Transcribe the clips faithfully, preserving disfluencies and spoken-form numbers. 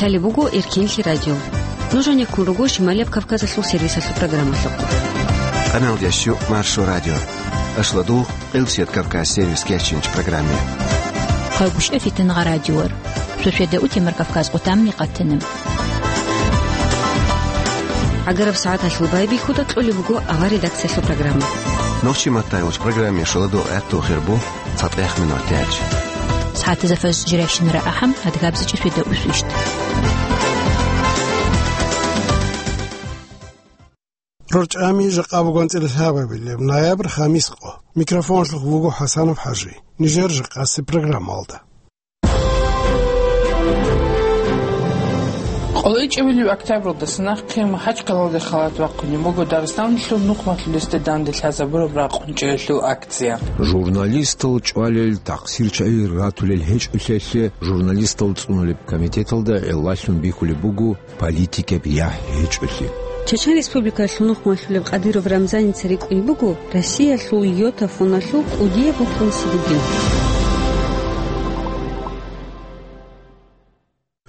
Лъалеб буго Эркинлъи радио. Нуж гьанеккун руго Шималияб Кавказалъул сервисалъул программалъухъ. Къаналдящу Маршо радио. Ашладу Къилсият Кавказ сервис кечинч программе. Хъайгуща фитнагъа радиор. Шошеда утемар Кавказ къутамни къатана. Агараб сагӀаталъул байбихьуда кьолеб буго авар редакциялъул программа. Нохчи маттай уч программе шоладу гӀатту хирбу. ЦатӀех минутач. СагӀатазда фаз жирайщинара ахӀам, адгабзичӀи сведа усвищт. РорчӀами жакъа буган цӀилалъабабилеб ноябрь, хамис къо. Микрофонлъухъ вуго ХӀасанов ХӀажи. Нижер жакъаси программалда. КъолайчӀебилеб октябралдаса нахъе МахӀачхъалалде халат вахъунеб буго Дагъистаналъул нухмалъулесде данде лъазабураб ракъун чӀеялъул акция. Журналистал чӀвалел, такъсирчагӀи ратулел гьечӀолъиялъе журналистал цӀунулеб комитеталда гӀиллалъун бихьулеб буго политикаб яхӀ гьечӀолъи. Чечен Республикалъул нухмалъулеб Кадыров Рамзаница рикӀкӀунеб буго Россиялъул йота фоналъул кӀудияб букӀин сидигил.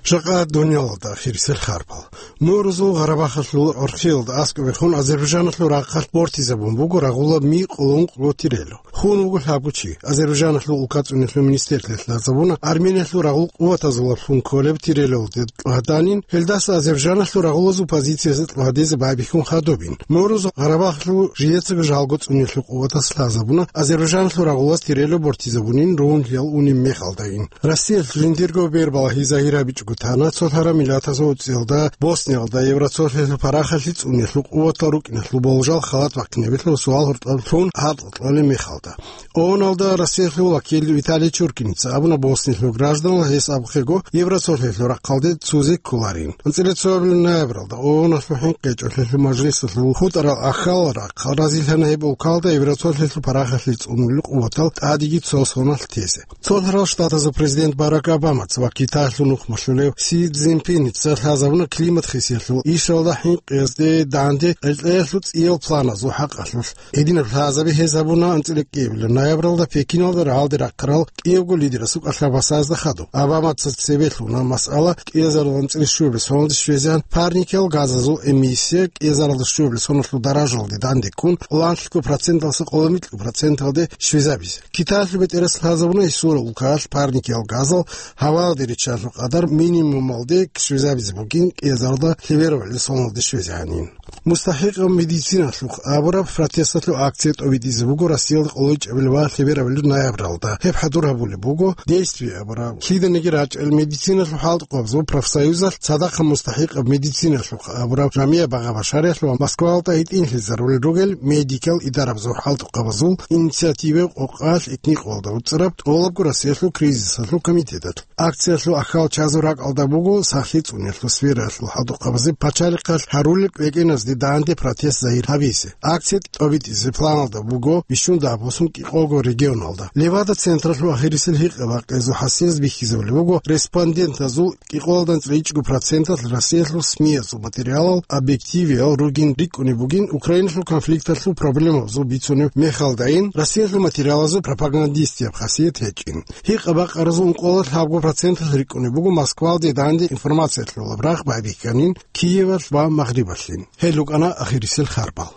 Жакъа дунялалда ахирисел харпал. Мурузул Гъарабахалъул гӀорхъиялда аскӀобехун Азербайжаналъул рахъалъ бортизабун буго рагъула ми къоло ункъго тирело. Хун вуго лъабго чи. Азербайжаналъул улкацӀунелъул министрлъиялъ лъазабуна Армениялъул рагъул къуватазулаблъун кколеб тирелалде кьвагьданин, гьелдаса Азербайжаналъул рагъулазул позициясе кьвагьдезе байбихьун хадубин. Мурузул Гъарабахалъул жидецаго жалго цӀунелъул къуватас лъазабуна Азербайжаналъул рагъулаз тирело бортизабунин ругьунлъиял унеб мехалдайин. Россиялъ жиндирго бербалагьи загьир гьабичӀого тана цолъараб миллатазул уцӀиялда Босниялда Евроцолъиялъул парахалъи цӀунелъул къуватал рукӀиналъул болжал халат бахъинабилъул суал гьоркьоб лъун гьаркьа кьолеб мехалда. ООНалда Россиялъул вакил Виталий Чуркиница абуна, Босниялъул гражданал гьес абухъего Евроцолъиялъул рахъалде цузе кколарин. АнцӀила цоабилеб ноябралда ООНалъул хӀинкъи гьечӀолъиялъул мажлисалъул хутӀарал ахьал рахъ разилъана гьеб улкалда Евроцолъиялъул парахалъи цӀунулел къуватал тӀадеги цо соналъ тезе. Цолъарал Штатазул президент Барак Обамаца ва Китаялъул нухмалъулев Си Цзиньпиница лъазабуна климат хисиялъул ишалда хӀинкъиязде данде кьекьеялъул цӀиял планазул хӀакъалъулъ. Гьединаб лъазаби гьез гьабуна анцӀила кӀиабилеб ноябралда Пекиналда рагьалде рахъарал кӀиябго лидерасул кӀалъабасазда хадуб. Обамаца цебе лъуна масъала кӀиазарал анцӀила щуабилеб соналде щвезегӀан парникиял газазул эмиссия кӀиазаралда щуабилеб соналъул даражалде данде ккун, кьоланлъго проценталдаса къоло микьго проценталде щвезабизе. Китаялъул бетӀерас лъазабуна гьесул улкаялъ парникиял газал гьаваялде риччалъул къадар минимумалде щвезабизе бугин, кӀиазаралда лъеберабали соналде щвезегӀанин. МустахӀикъаб медициналъухъ абураб протесталъул акция тӀобитӀизе буго Россиялда къолайчӀебилеб ва лъеберабилеб ноябралда. Гьеб хӀадур гьабулеб буго «Действие» абураб, лъиданиги рачӀел медициналъул хӀалтӀукъабазул профсоюзалъ, цадахъ мустахӀикъаб медициналъухъ абураб жамигӀ багъа-башариялъул ва Москвалда гьитӀинлъизарулел ругел медикал идарабазул хӀалтӀукъабазул инициативаялъ къокъалъ этникалда уцӀараб тӀолабго Россиялъул кризисалъул комитеталъ. Акциялъул ахьал чазул ракӀалда буго сахлъи цӀуниялъул сфераялъул хӀалтӀукъабазе пачалихъалъ гьарулел кӀвекӀеназде данде протест загьир гьабизе. Акция тӀобитӀизе планалда буго бищун дагьаб босун кӀикъого регионалда. Левада централъул ахирисел гьикъа-бакъиязул хӀасилаз бихьизабулеб буго респондентазул кӀикъоялда анцӀила ичӀго проценталъ Россиялъул СМИ-язул материалал объективиял ругин рикӀкӀунеб бугин, Украиналъул конфликталъул проблемабазул бицунеб мехалдайин Россиялъул материалазул пропагандистияб хасият гьечӀин. Гьикъа-бакъаразул ункъоялда лъабго проценталъ рикӀкӀунеб буго Москвалде данде информациялъулаб рагъ байбихьанин Киевалъ ва Магърибалъин. Гьел рукӀана ахирисел харпал.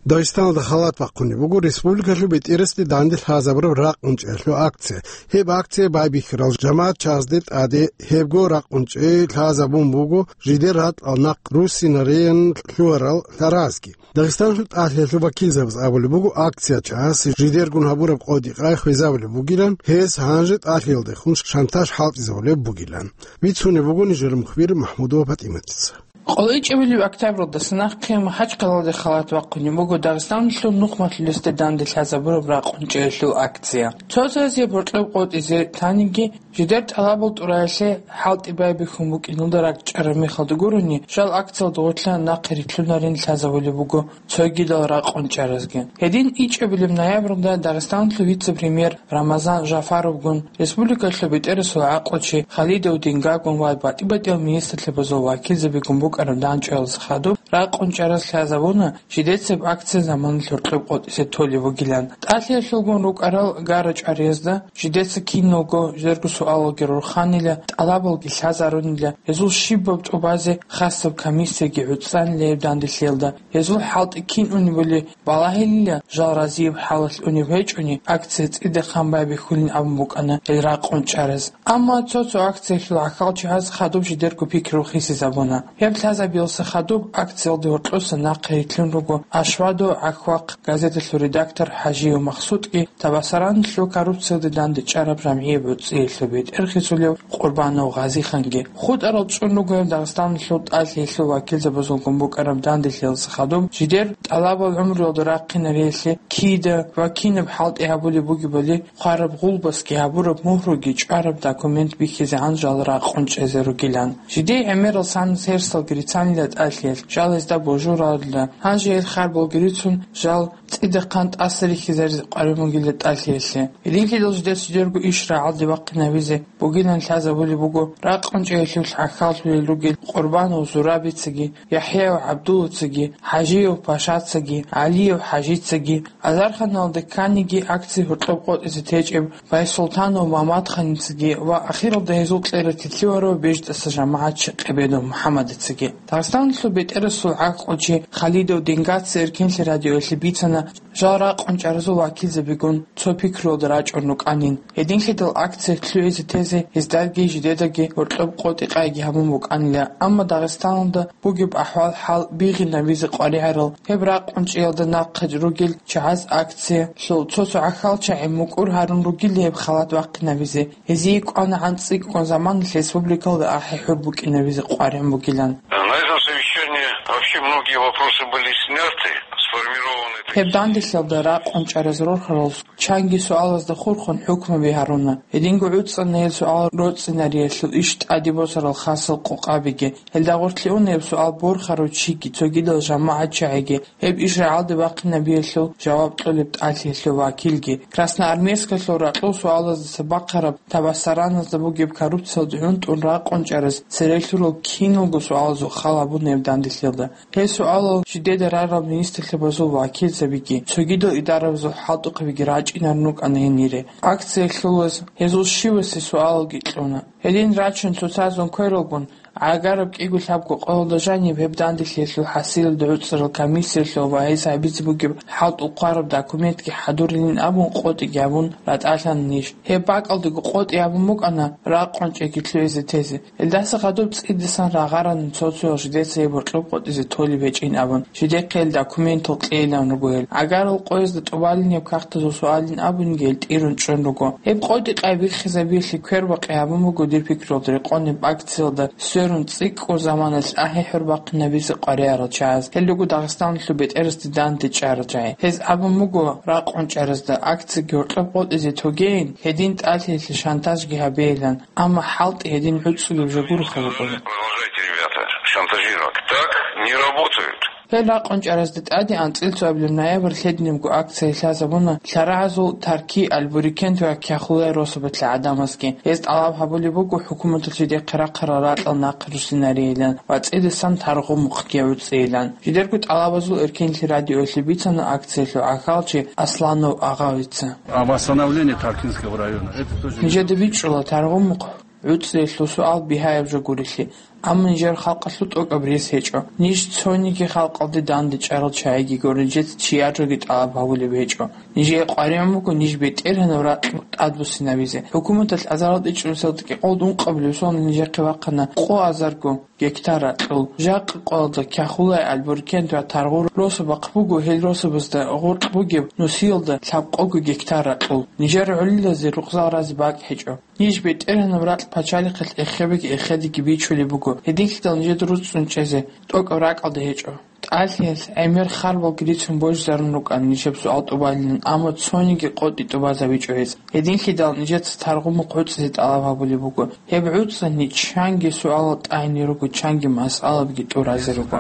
Дагъистаналда халат бахъунеб буго республикалъул бетӀерасде данде лъазабураб ракъун чӀеялъул акция. Гьеб акция байбихьарал жамагӀат чазде тӀаде гьебго ракъун чӀей лъазабун буго жидер ратӀал нахъ руссинариян лъугьарал лъаразги. Дагъистаналъул тӀалъиялъул вакилзабаз абулеб буго, акция чӀаси жидергун гьабураб къо-дикъа хвезабулеб бугилан, гьез гьанже тӀалъиялдехун шантаж хӀалтӀизабулеб бугилан. Бицунеб буго нижер мухбир МахӀмудова ПатӀиматица. КъолайчӀебилеб октябралдаса нахъе МахӀачхъалалде халат вахъунеб буго Дагъистаналъул нухмалъулесде данде лъазабураб ракъун чӀеялъул акция. Цо-цоязе боркьоб къотӀизе таниги, жидер тӀалабал тӀураялъе хӀалтӀи байбихьун букӀиналда ракӀчӀараб мехалда гурони, жал акциялда гъорлъа нахъе рилълъунарин лъазабулеб буго цогидал ракъун чӀаразги. Гьедин ичӀабилеб ноябралда Дагъистаналъул вице-премьер Рамазан Жафаровгун, республикалъул бетӀерасул гӀакълучи Халидов Дингагун ва батӀи-батӀиял министрлъабазул вакилзабигун букӀараб дандчӀваялдаса хадуб ракъун чӀараз лъазабуна, жидецаб акция заманалъ гьоркьоб къотӀизе толеб бугилан. ТӀалъиялъулгун рукӀарал гара-чӀвариязда жидеца киналго жерго суалалги рорханила, тӀалабалги лъазарунила, гьезул щибаб тӀубазе хасаб комиссияги гӀуцӀанила гьеб данделъиялда. Гьезул хӀалтӀи кин унебали балагьилила, жал разияб хӀалалъ унеб гьечӀони, акция цӀидахъан байбихьулин абун букӀана гьел ракъун чӀараз. Амма цо-цо акциялъул гӀахьалчагӀаз хадуб жидерго пикру хисизабуна. Гьеб лъазабиялса хадуб акциялде гьоркьоса нахъе рилълъун руго Ашвадо гӀахьвахъ газеталъул редактор ХӀажиев Махсудги, Табасараналъул коррупциялде дандечӀараб жамгӀияб гӀуцӀиялъул бетӀергьанасулев Къурбанов Гъазиханги. ХутӀарал чӀун руго гьеб Дагъистаналъул тӀалъиялъул вакилзабазулгун букӀараб данделъиялса хадуб жидер тӀалабал гӀумруялда рахъинариялъе кида ва кинаб хӀалтӀи гьабулеб бугебали хъвараб гъулбасги гьабураб мугьруги чӀвараб документ бихьизегӀан жал ракъун чӀезе ругилан. Жидее гӀемерал санас гьерсалги рицанила тӀалъиялъ, жал гьезда божуралила. Гьанже гьел харбалги рицун, жал цӀидахъан тӀаса рихьизаризе къваригӀун бугила тӀалъиялъе. Гьединлъидал жидер жидерго иш рагӀалде бахъинабизе бугилан лъазабулеб буго ракъун чӀеялъулъ гӀахьаллъулел ругел Къурбанов Зурабицаги, ЯхӀяев ГӀабдуллацаги, ХӀажиев Пашацаги, ГӀалиев ХӀажицаги, азарханалда кканиги акция гьоркьоб къотӀизе течӀеб Байсултанов Мамадханицаги ва ахиралда гьезул кьерав Тилъиварав БежтӀаса жамагӀат Щекъебедов МухӀаммадицаги. Дагъистаналъул бетӀерасул гӀахьлъи Халидов Денгаца Эркенлъи радиоялъе бицана, жал ракъун чӀаразул вакилзабигун цо пикруялда рачӀун рукӀанин. Гьединлъидал акция лъугӀизе тезе гьездаги жидедаги гьоркьоб къотӀи-къайги гьабун букӀанила, амма Дагъистаналда бугеб ахӀвал-хӀал бигъинабизе къваригӀарал гьеб ракъун чӀеялда нахъе ругел чагӀаз акциялъул цо-цо гӀахьалчагӀи мукӀур гьарун ругел гьеб халат бахъинабизе. Гьезие кӀванагӀан цӀикӀкӀун заманалъ республикалда ахӀи-хӀур букӀинабизе къваригӀун бугилан. На этом совещании вообще многие вопросы были сняты, сформированы. Гьеб данделъиялда ракъун чӀараз рорхарал чанги суалазда хурхун хӀукмуби гьаруна. Гьединго гӀуцӀана гьел суал роцӀцӀинариялъул иш тӀаде босарал хасал къокъабиги. Гьелда гъорлъе уна гьеб суал борхарав чиги, цогидал жамагӀатчагӀиги, гьеб иш рагӀалде бахъинабиялъул жаваб кьолеб тӀалъиялъул вакилги. Красноармейскалъул ракьул суалаздаса бахъараб Табасараназда бугеб коррупциялде гӀунтӀун ракъун чӀараз цере лъурал киналго суалазул хал гьабуна гьеб данделъиялда. Гьел суалал жидеда рарал министрлъабазул вакилзабиги, цогидал идарабазул хӀалтӀухъабиги рачӀинарун рукӀана гьенире. Акция лъолаз гьезул щивасе суалалги кьуна. Гьедин рачун цоцазун квералгун, гӀагараб кӀиго-лъабго къоялда жаниб гьеб данделъиялъул хӀасилалда гӀуцӀарал комиссиялъул ва гьес гьабизе бугеб хӀалтӀул хъвараб документги хӀадурилин абун къотӀиги гьабун ратӀалъана ниж. Гьеб бакӀалдаго къотӀи гьабун букӀана ракъун чӀеги лъугӀизе тезе. Гьелдаса хадуб цӀидасан рагъарана цо-цоял жидеца гьеб гьоркьоб къотӀизе толеб гьечӀин абун, жидехъе гьел документал кьейилан руго гьел. ГӀагарал къоязда тӀубалин гьеб кагътазул суалин абунги гьел тӀирун чӀун руго. Гьеб къотӀи-къай биххизабиялъе квербакъи гьабун буго дир пикруялда рекъон гьеб акциялда сверун цӀикӀкӀун заманалъ ахӀи-хӀур бахъинабизе къваригӀарал чагӀаз. Гьел руго Дагъистаналъул бетӀерасде данде чӀарал чагӀи. Гьез абун буго ракъун чӀаразда акцияги гьоркьоб къотӀизе тогейин, гьедин тӀалъиялъе шантажги гьабейилан. Амма хӀалтӀи гьедин гӀуцӀулеб жо гуроха букӀуна. Продолжайте, ребята, шантажировать. Так не работают. Гьел ракъун чӀаразда тӀаде анцӀила цоабилеб ноябрь лъединабго акция лъазабуна лъарагӀазул Тарки, Албурикент ва Кяхулай росабалъа гӀадамазги. Гьез тӀалаб гьабулеб буго хӀукуматалъ жидехъе рахъарал ракьал нахъе руссинарейилан ва цӀидасан таргъумухъги гӀуцӀейилан. Жидерго тӀалабазул Эркенлъи радиоялъе бицана акциялъул гӀахьалчи Асланов Агъавица. А восстановление Таркинского района, это тоже... Нижеда бичӀчӀула таргъумухъ гӀуцӀиялъул суал бигьаяб жо гурелъи, амма нижер халкъалъул тӀокӀаб рес гьечӀо. Ниж цониги халкъалде данде чӀарал чагӀиги гуро, нижеца чияр жоги тӀалаб гьабулеб гьечӀо. Нижее къваригӀун буго ниж БетӀергьанаб ракь тӀадбуссинабизе. ХӀукуматалъ азарал тӀичӀрусиялда кӀикъоялда ункъабилеб соналъ нижехъе бахъана къо азарго гектар ракьул. Жакъа къоялда Кяхулай, Албурикент ва Таргъу росабахъ буго, гьел росабазда гъоркь бугеб нусиялда лъабкъого гектар ракьул. Нижер гӀолилазе рукъзал разе бакӀ гьечӀо. Ниж БетӀергьанаб ракь пачалихъалъ эхебеги эхедеги бичулеб буго, гьединлъидал нижеда руцӀцӀун чӀезе тӀокӀаб ракьалда гьечӀо. ТӀалъиялъ гӀемер харбалги рицун божизарун рукӀана нижеб суал тӀубалилан, амма цониги къотӀи тӀубазабичӀо гьез. Гьединлъидал нижеца таргъумухъ гӀуцӀизе тӀалаб гьабулеб буго. Гьеб гӀуцӀани чанги суалал тӀагӀине руго, чанги масъалабги тӀуразе руго.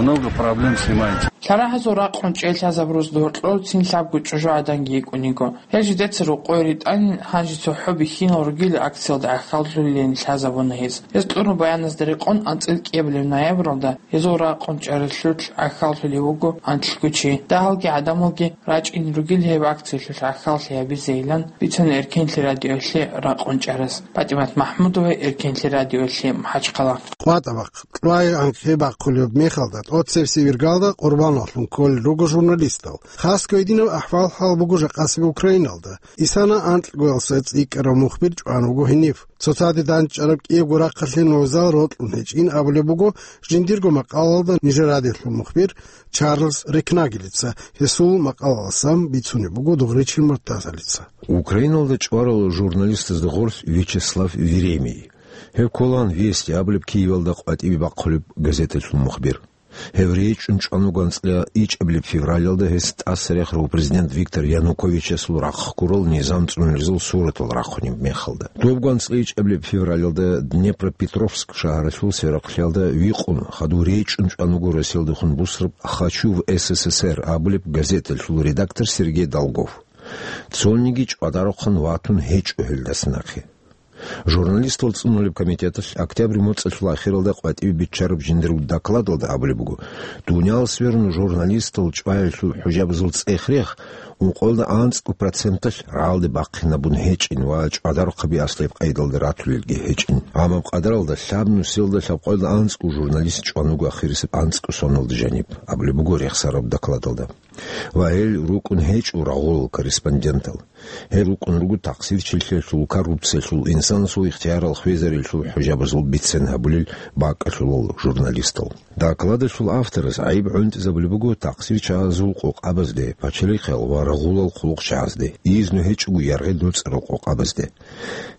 Много проблем снимается. Лъарагьазул ракъун чӀей лъазабураз гьоркьор цин лъабго чӀужугӀаданги йикӀун йиго. Гьел жидеца рукъой ритӀанин, гьанже цохӀо бихьинал ругел акциялда гӀахьаллъулилин лъазабуна гьез. Гьез кьураб баяназда рекъон анцӀила кӀиабилеб ноябралда гьезул ракъун чӀаралъулъ гӀахьаллъулев вуго анлъго чи. Дагьалги гӀадамалги рачӀине ругел гьеб акциялъулъ гӀахьаллъи гьабизейилан бицана Эркенлъи радиоялъе ракъун чӀарас. ПатӀимат МахӀмудова, Эркенлъи радиоялъе, МахӀачхъала. КъватӀа бахъ, кьвай анхъе бахъулеб мехалда, тӀоцебесеб иргалда къурбаналъун кколел руго журналистал. Хасго гьединаб ахӀвал-хӀал буго жакъасеб Украиналда. Исана анкьгоялдаса цӀикӀкӀарав мухбир чӀван вуго гьенив. Цоцаде дандчӀараб кӀиябго рахъалъе нозал рокьун гьечӀин абулеб буго жиндирго макъалалда нижер радиолъул мухбир Чарльз Рекнагелица, гьесул макъалаласан бицунеб буго Дугъричил Муртазалица. Украиналда чӀварал журналистазда гъорлъ Вячеслав Веремей. Гьев кколаан «Вести» абулеб Киевалда къватӀибе бахъулеб газеталъул мухбир. Гьев речӀчӀун чӀван вуго анцӀила ичӀабилеб февралалда гьес тӀасарахъарав президент Виктор Януковичасул рахъ ккурал низам цӀунулезул суратал рахъунеб мехалда. Добго анцӀила ичӀабилеб февралалда Днепропетровск шагьаралъул сверахъалъиялда викъун, хадув речӀчӀун чӀван вуго Россиялдехун бусураб «Хочу в С С С Р» абулеб газеталъул редактор Сергей Долгов. Цониги чӀвадарухъан ватун гьечӀо гьелдаса нахъе. Журналистал цӀунулеб комитеталъ октябрь моцӀалъул ахиралда къватӀибе биччараб жиндирго докладалда абулеб буго, дуниял сверун журналистал чӀваялъул хӀужабазул цӀех-рех ункъоялда анцӀго проценталъ рагӀалде бахъинабун гьечӀин ва чӀвадарухъаби аслияб къайдалда ратулелги гьечӀин. Гьаб къадаралда лъаб нусиялда лъабкъоялда анцӀго журналист чӀван вуго ахирисеб анцӀго соналда жаниб, абулеб буго рехсараб докладалда. Ва гьел рукӀун гьечӀо рагъулал корреспондентал. Гьел рукӀун руго тахсирчилъиялъул, коррупциялъул, инсанасул ихтиярал хвезарилъул хӀужабазул бицен гьабулел бакӀалъулал журналистал. Докладалъул авторас гӀайиб гӀунтӀизабулеб буго тахсирчагӀазул къокъабазде, пачалихъал ва рагъулал хъулухъчагӀазде, изну гьечӀого яргъи доцӀарал къокъабазде.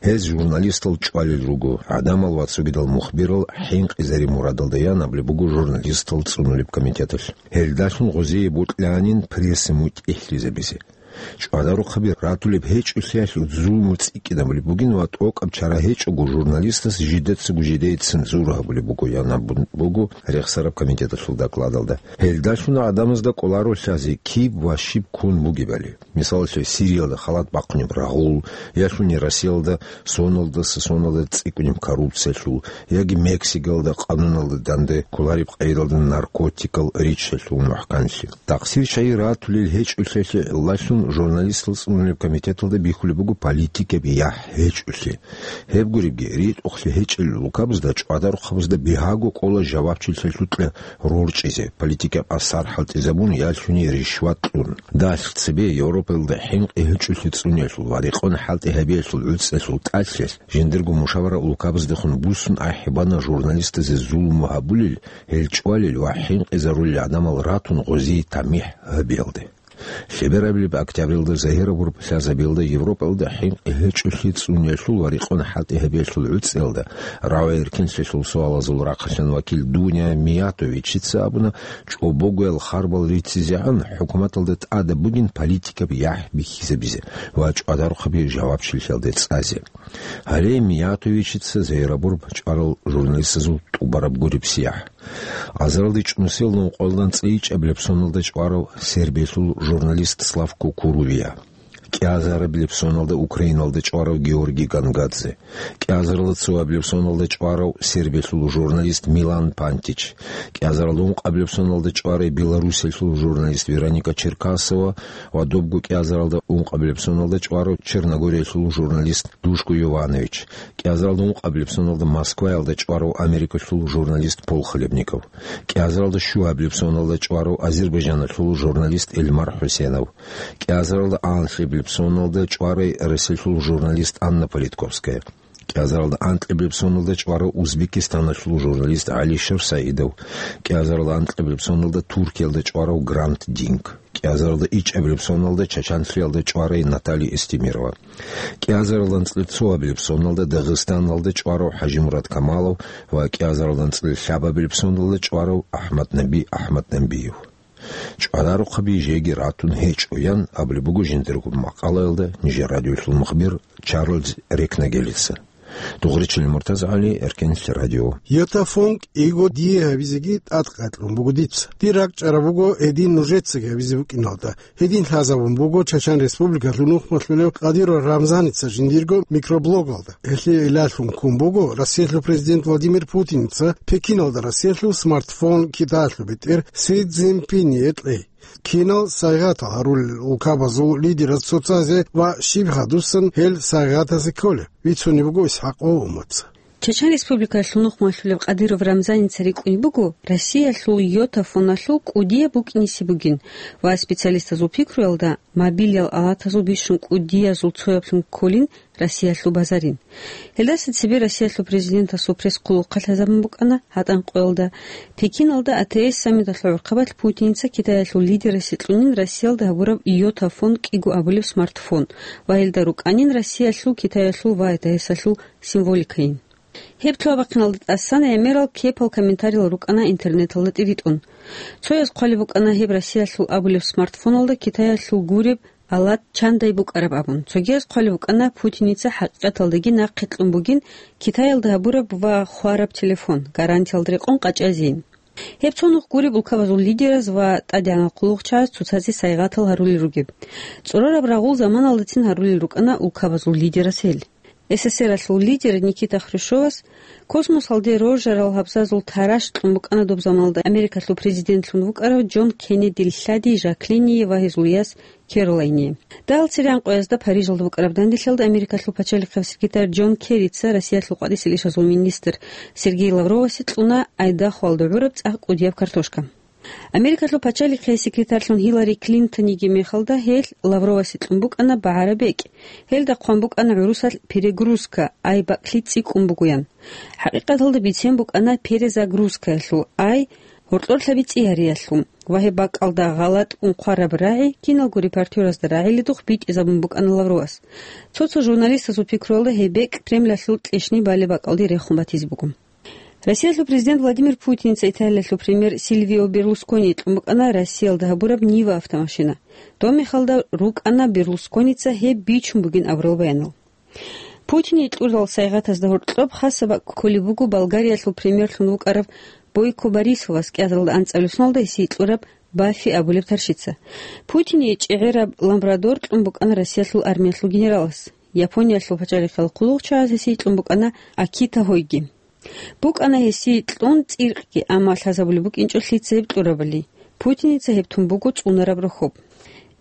Гьез журналистал чӀвалел руго, гӀадамал ва цогидал мухбирал хӀинкъизари мурадалда ян абулеб буго журналистал цӀунулеб комитеталъ. Гьелдалъун гъозие бокьанин пресса мутӀигӀлъизабизе. ЧӀвадарухъаби ратулеб гьечӀолъиялъ зулму цӀикӀкӀинабулеб бугин ва тӀокӀаб чара гьечӀого журналистас жидецаго жидее цензура гьабулеб буго, ян абун буго рехсараб комитеталъул докладалда. Гьелдалъун гӀадамазда кӀоларо лъазе киб ва щиб ккун бугебали. Мисалалъе, Сириялда халат бахъунеб рагъул, ялъуни Россиялда соналдаса соналда цӀикӀкӀунеб коррупциялъул, яги Мексикалда къануналда данде кколареб къайдалда наркотикал риччалъул мухӀканлъи. Тахсир чагӀи ратулел гьечӀолъиялъе лъаллъун журналистал цӀунулеб комитеталда бихьулеб буго политикаб яхӀ гьечӀолъи. Гьеб гуребги, ритӀухълъи гьечӀел улкабазда чӀвадарухъабазда бигьаго кӀола жавабчилъиялъукьа рорчӀизе, политикаб асар хӀалтӀизабун, ялъуни ришват кьун. Далъ цебе Европаялда хӀинкъи гьечӀолъи цӀуниялъул ва рекъон хӀалтӀи гьабиялъул гӀуцӀиялъул тӀалъиялъ жиндирго мушавара улкабаздехун буссун ахӀи бана журналистазе зулму гьабулел, гьел чӀвалел ва хӀинкъизарулел гӀадамал ратун гъозие тамихӀ гьабиялде. Лъеберабилеб октябралда загьирабураб лъазабиялда Европаялда хӀинкъи гьечӀолъи цӀуниялъул ва рекъон хӀалтӀи гьабиялъул гӀуцӀиялда рагӀи-эркенлъиялъул суалазул рахъалъан вакил Дуня Миятовичица абуна, чӀобогоял харбал риццизегӀан хӀукуматалда тӀадаб бугин политикаб яхӀ бихьизабизе ва чӀвадарухъаби жавабчилъиялде цӀазе. Гьале Миятовичица загьирабураб чӀварал журналистазул тӀубараб гуреб сияхӀ. Азаралде чӀунусел нункъоялда анцӀила ичӀабилеб соналда чӀварав Сербиялъул журналист Славко Курувия, кӀиазарабилеб соналда Украиналда чӀварав Георгий Гангадзе, кӀиазаралда цоабилеб соналда чӀварав Сербиялъул журналист Милан Пантич, кӀиазаралда ункъабилеб соналда чӀварай Беларусиялъул журналист Вероника Черкасова ва добго кӀиазаралда ункъабилеб соналда чӀварав Черногориялъул журналист Душко Йованович, кӀиазаралда ункъабилеб соналда Москваялда чӀварав Америкалъул журналист Пол Хлебников, кӀиазаралда щуабилеб соналда чӀварав Азербайджаналъул журналист Эльмар ХӀусенов, кӀиазаралда анлъабилеб соналда чӀварай Россиялъул журналист Анна Политковская, кӀиазаралда анкьабилеб соналда чӀварав Узбекистаналъул журналист ГӀалишер Саидов, кӀиазаралда анкьабилеб соналда Туркиялда чӀварав Грант Динк, кӀиазаралда ичӀабилеб соналда Чачанлъиялда чӀварай Наталья Эстемирова, кӀиазаралда анцӀила цоабилеб соналда Дагъистаналда чӀварав ХӀажимурад Камалов ва кӀиазаралда анцӀила лъабабилеб соналда чӀварав АхӀмаднаби АхӀмаднабиев. ЧӀварарухъаби жеги ратун гьечӀо, ян абулеб буго жиндирго макъалаялда нижер радиолъул мухбир Чарльз Рекнагелица. Дугъричилин МуртазагӀали, Эркенлъи радио. Йотафон кӀиго дие гьабизеги тӀадкъадлъун буго дица. Дир ракӀчӀараб буго гьедин нужецаги гьабизе букӀиналда. Гьедин лъазабун буго Чачан Республикалъул нухмалъулев Кадиров Рамзаница жиндирго микроблогалда. Гьелъие илалъун ккун буго Россиялъул президент Владимир Путиница Пекиналда Россиялъул смартфон Китаялъул бетӀер Си Цзиньпиние кьей. Кинал сайгъатал гьарулел улкабазул лидераз цоцазе ва щиб гьадусан гьел сайгъатазе кколеб, бицунеб буго ИсхӀакъ Умаца. Чечен Республикалъул нухмалъулев Кадиров Рамзаница рикӀкӀунеб буго Россиялъул Йотафоналъул кӀудияб букӀиниси бугин ва специалистазул пикруялда мобилиял алатазул бищун кӀудиязул цояблъун кколин Россиялъул базарин. Гьелдаса цебе Россиялъул президентасул пресс-хъулухъалъ лъазабун букӀана гьатӀан къоялда. Пекиналда А Т С саммиталъул гӀурхъабалъ Путиница Китаялъул лидерасе кьунин Россиялда гьабураб Йотафон кӀиго абулеб смартфон ва гьелда рукӀанин Россиялъул, Китаялъул ва А Т С-алъул символикайин. Гьеб лъугьа-бахъиналда тӀасан гӀемерал кепал комментариял рукӀана интернеталда тӀиритӀун. Цояз хъвалеб букӀана гьеб Россиялъул абулеб смартфоналда Китаялъул гуреб алат чандай букӀараб абун. Цогияз хъвалеб букӀана Путиница хӀакъикъаталдаги нахъе кьун бугин Китаялда гьабураб ва хвараб телефон, гарантиялда рекъон къачӀазейин. Гьеб цо нух гуреб улкабазул лидераз ва тӀадегӀанал хъулухъчагӀаз цоцазе сайгъатал гьарулел ругеб. ЦӀорораб рагъул заманалдацин гьарулел рукӀана улкабазул лидераз гьел. С С С Р-алъул лидер Никита Хрущевас космосалде роржарал гьабзазул таращ кьун букӀана доб заманалда Америкалъул президентлъун вукӀарав Джон Кеннедил лъади Жаклиниее ва гьезул яс Керолайне. Дагьал цере гӀанкъоязда Парижалда букӀараб данделъалда Америкалъул пачалихъав секретарь Джон Керрица Россиялъул къватӀисел ишазул министр Сергей Лавровасе кьуна Айдахоялда гӀураб цӀакъ кӀудияб картошка. Америкалъул пачалихъе секретарьлъун Хиллари Клинтониги мехалда гьелъ Лавровасе кьун букӀана багӀараб бекӀ. Гьелда хъван букӀана гӀурусалъ перегрузка, ай бакӀлъи цӀикӀкӀун бугоян. ХӀакъикъаталда бицен букӀана перезагрузкаялъул, ай гьоркьорлъаби цӀияриялъул ва гьеб бакӀалда гъалатӀ унхъвараб рагӀи киналго репортеразда рагӀиледухъ битӀизабун букӀана Лавровас. Цо-цо журналистазул пикруялда гьеб бекӀ Кремлалъул кьешни балеб бакӀалде рехун батизе буго. Россиялъул президент Владимир Путиница Италиялъул премьер Сильвио Берлускони кьун букӀана Россиялда гьабураб Нива автомашина. Доб мехалда рукӀана Берлусконица гьеб бичун бугин абурал баянал. Путине кьурал сайгъатазда гьоркьоб хасаб бакӀ кколеб буго Болгариялъул премьерлъун вукӀарав Бойко Борисовас кӀиазаралда анцӀабилеб соналда гьесие кьураб Баффи абулеб тарщица. Путине чӀегӀераб Лабрадор кьун букӀана Россиялъул армиялъул генералас. Япониялъул пачалихъал хъулухъчагӀаз гьесие кьун букӀана Акита гьойги. БукӀана гьесие кьун цӀиркъги, амма лъазабулеб букӀинчӀо лъица гьеб кьурабали. Путиница гьеб тун буго цӀунараб рохьоб.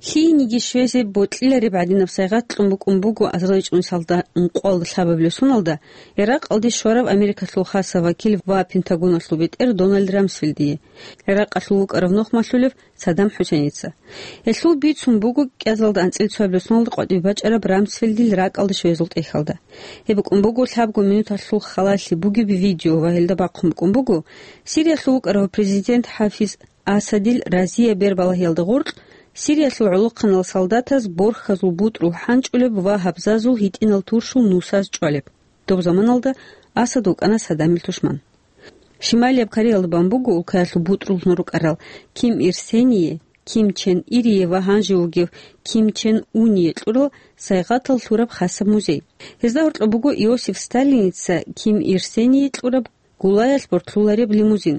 Лъиениги щвезе бокьилареб гӀадинаб сайгъат кьун букӀун буго азарилчӀун салда ункъоялда лъабабилеб соналда, Иракъалде щварав Америкалъул хасав вакил ва Пентагоналъул бетӀер Дональд Рамсфелдие, Иракъалъул вукӀарав нухмалъулев Саддам ХӀусейница. Гьелъул бицун буго кӀиазалда анцӀила цоябилеб соналда къватӀибе бачӀараб Рамсфелдил ракӀалде щвезул тӀехьалда. Гьеб букӀун буго лъабго минуталъул халалъи бугеб видео ва гьелда бахъун букӀун буго, Сириялъул вукӀарав президент ХӀафиз Асадил разияб бербалагьиялда гъоркь Сириялъул гӀолохъанал солдатаз борхьазул бутӀрул хӀанчӀулеб ва гьабзазул гьитӀинал туршул нусаз чӀвалеб. Доб заманалда Асад вукӀана Саддамил тушман. Шималияб Кореялда бан буго улкаялъул бутӀруллъун рукӀарал Ким Ир Сение, Ким Чен Ирие ва гьанже вугев Ким Чен Уные кьурал сайгъатал лъураб хасаб музей. Гьезда гьоркьоб буго Иосиф Сталиница Ким Ир Сение кьураб гулаялъ бортлъулареб лимузин.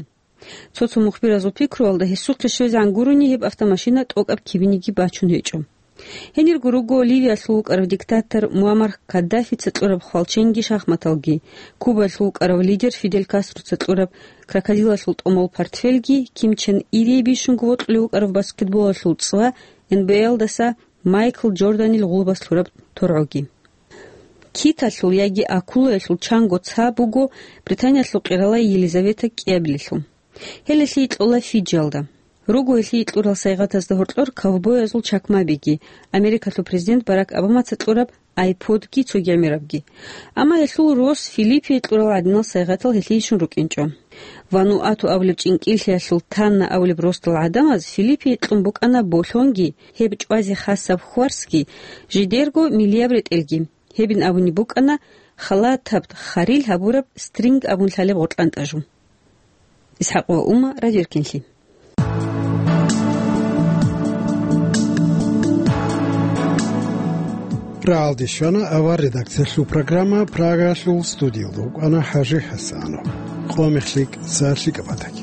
Цо-цо мухбиразул пикруялда, гьесухъе щвезегӀан гурони гьеб автомашина тӀокӀаб кибиниги бачун гьечӀо. Гьенирго руго Ливиялъул вукӀарав диктатор Муаммар Каддафица кьураб хвалченги шахматалги, Кубаялъул вукӀарав лидер Фидель Кастроца кьураб крокодилалъул тӀомал портфелги, Ким Чен Ирие бищунго вокьулев вукӀарав баскетболалъул цӀва, Н Б А-ялдаса Майкл Джорданил гъулбас лъураб торгӀоги. Киталъул яги акулаялъул чанго ца буго Британиялъул къирала Елизавета кӀиабилелъул. Гьеле лъикӀ кьола Фиджиялда. Руго гьелъие кьурал сайгъатазда гьоркьор ковбоязул чакмабиги, Америкалъул президент Барак Обамаца кьураб айподги цоги гӀемерабги. Амма гьелъул рос Филиппие кьурал гӀадинал сайгъатал гьелъийищун рукӀинчӀо. Вануату абулеб чӀинкӀиллъиялъул Танна абулеб росдал гӀадамаз Филиппие кьун букӀана болъонги, гьеб чӀвазе хасаб хьварсги, жидерго миллияб ретӀелги. Гьебин абунеб букӀана халатаб харил гьабураб стринг абун лъалеб гъоркьантӀа жу. ИсхӀакъ ва Ума, Радио Эркенлъи. Рагьалде щвана авар редакциялъул программа, Прагалъул студиялда вукӀана ХӀажи ХӀасанов. Къо мехлъи кӀиса лъикӀаб батаги.